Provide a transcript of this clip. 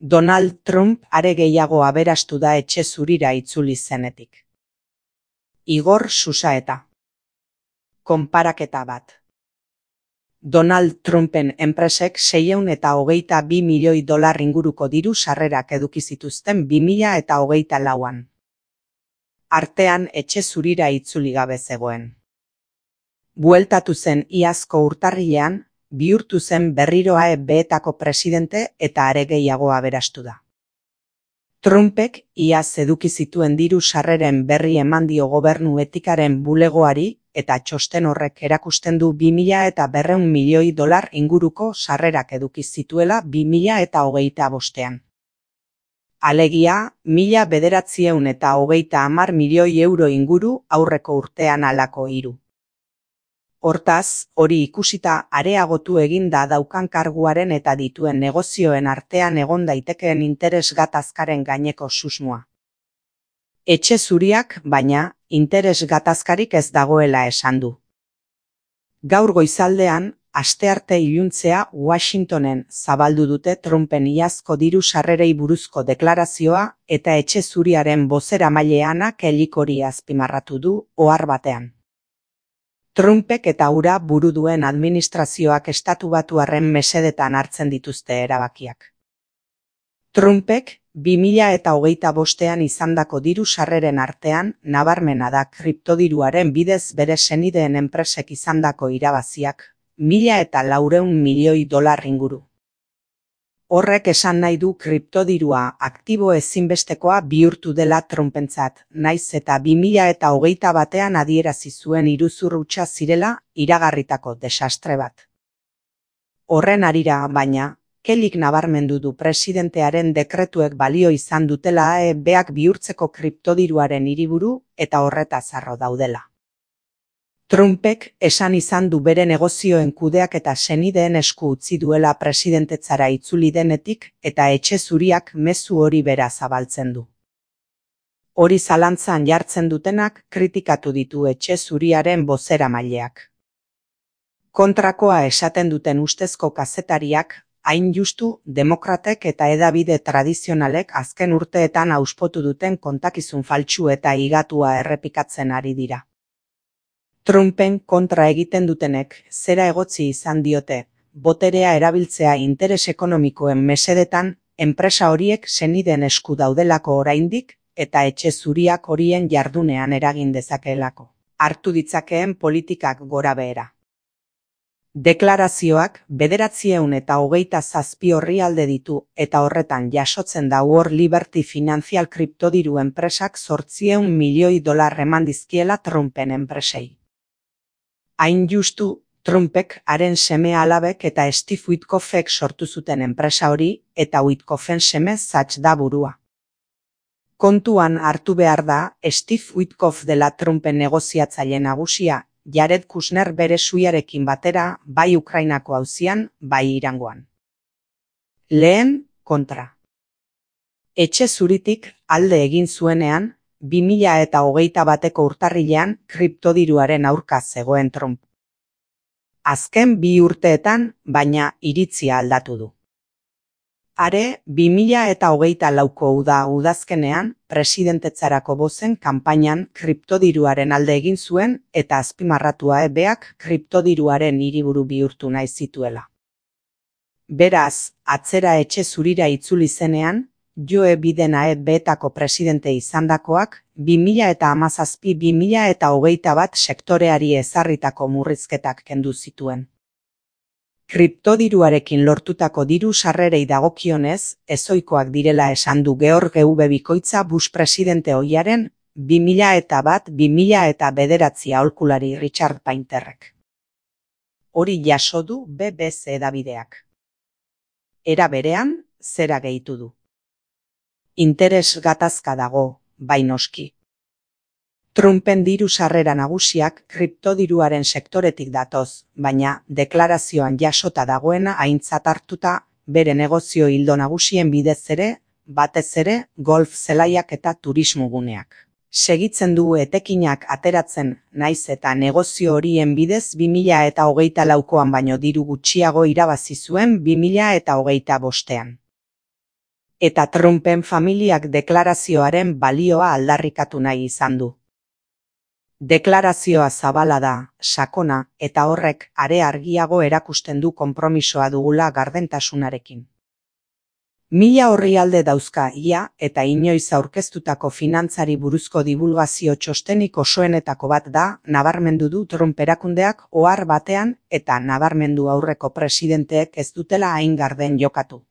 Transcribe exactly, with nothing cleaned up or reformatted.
Donald Trump are gehiago aberastu da etxe zurira itzuli zenetik. Igor Susaeta. Konparaketa bat. Donald Trumpen enpresek seiehun eta hogeita bi milioi dolar inguruko diru sarrerak eduki zituzten bi mila eta hogeita lauan. Artean etxe zurira itzuli gabe zegoen. Bueltatu zen iazko urtarrilean, bihurtu zen berriro A E B-etako presidente eta are gehiago aberastu da. Trumpek iaz eduki zituen diru sarreren berri eman dio gobernu etikaren bulegoari eta txosten horrek erakusten du bi mila eta berrehun milioi dolar inguruko sarrerak eduki zituela bi mila eta hogeita bostean. Alegia, mila bederatziehun eta hogeita hamar milioi euro inguru aurreko urtean halako hiru. Hortaz, hori ikusita areagotu egin da daukan karguaren eta dituen negozioen artean egon daitekeen interes gatazkaren gaineko susmoa. Etxe zuriak, baina, interes gatazkarik ez dagoela esan du. Gaur goizaldean, astearte iluntzea Washingtonen zabaldu dute Trumpen iazko diru sarrerei buruzko deklarazioa eta etxe zuriaren bozeramaileana Kellyk hori azpimarratu du ohar batean. Trumpek eta hura buru duen administrazioak estatubatuarren mesedetan hartzen dituzte erabakiak. Trumpek bi mila eta hogeita bostean izandako diru sarreren artean nabarmena da kriptodiruaren bidez bere senideen enpresek izandako irabaziak, mila eta laurehun milioi dolar inguru. Horrek esan nahi du kriptodirua aktibo ezinbestekoa bihurtu dela Trumpentzat, naiz eta bi mila eta hogeita batean adierazi zuen iruzur hutsa zirela iragarritako desastre bat. Horren harira, baina, Kellyk nabarmendu du presidentearen dekretuek balio izan dutela A E B-ak bihurtzeko kriptodiruaren hiriburu eta horretaz harro daudela. Trumpek esan izan du bere negozioen kudeak eta senideen esku utzi duela presidentetzara itzuli denetik eta etxe zuriak mezu hori bera zabaltzen du. Hori zalantzan jartzen dutenak kritikatu ditu etxe zuriaren bozeramaileak. Kontrakoa esaten duten ustezko kazetariak, hain justu demokratek eta hedabide tradizionalek azken urteetan auspotu duten kontakizun faltsu eta higatua errepikatzen ari dira. Trumpen kontra egiten dutenek zera egotzi izan diote, boterea erabiltzea interes ekonomikoen mesedetan, enpresa horiek senideen esku daudelako oraindik eta etxe zuriak horien jardunean eragin dezakeelako. Hartu ditzakeen politikak gora behera. Deklarazioak bederatziehun eta hogeita zazpi orrialde ditu eta horretan jasotzen da World Liberty Financial kriptodiru enpresak zortziehun milioi dolar eman dizkiela Trumpen enpresei. Hain justu, Trumpek haren seme alabek eta Steve Witkoffek sortu zuten enpresa hori eta Witkoffen seme Zach da burua. Kontuan hartu behar da, Steve Witkoff dela Trumpen negoziatzaile nagusia, Jared Kushner bere suiarekin batera bai Ukrainako auzian, bai Irangoan. Lehen, kontra. Etxe zuritik alde egin zuenean, bi mila eta hogeita bateko urtarrilean kriptodiruaren aurka zegoen Trump. Azken bi urteetan, baina iritzia aldatu du. Are, bi mila eta hogeita lauko uda udazkenean, presidentetzarako bozen kanpainan kriptodiruaren alde egin zuen eta azpimarratu A E B-ak kriptodiruaren hiriburu bihurtu nahi zituela. Beraz, atzera etxe zurira itzuli zenean, Joe Biden A E B-etako presidente izandakoak, bi mila eta hamazazpi bi mila eta hogeita bat sektoreari ezarritako murrizketak kendu zituen. Kriptodiruarekin lortutako diru sarrerei dagokionez, ezoikoak direla esan du George W. Bikoitza Bush presidente ohiaren, bi mila eta bat bi mila eta bederatzi aholkulari Richard Painterrek. Hori jaso du B B C edabideak. Era berean, zera gehitu du. Interes gatazka dago, bai noski. Trumpen diru sarrera nagusiak kriptodiruaren sektoretik datoz, baina deklarazioan jasota dagoena aintzat hartuta bere negozio ildo nagusien bidez ere, batez ere golf zelaiak eta turismoguneak. Segitzen du etekinak ateratzen naiz eta negozio horien bidez bi mila eta hogeita laukoan baino diru gutxiago irabazi zuen bi mila eta hogeita bostean. Eta Trumpen familiak deklarazioaren balioa aldarrikatu nahi izan du. Deklarazioa zabala da, sakona, eta horrek are argiago erakusten du konpromisoa dugula gardentasunarekin. Mila orrialde dauzka ia eta inoiz aurkeztutako finantzari buruzko divulgazio txostenik osoenetako bat da, nabarmendu du Trump erakundeak ohar batean eta nabarmendu aurreko presidenteek ez dutela hain garden jokatu.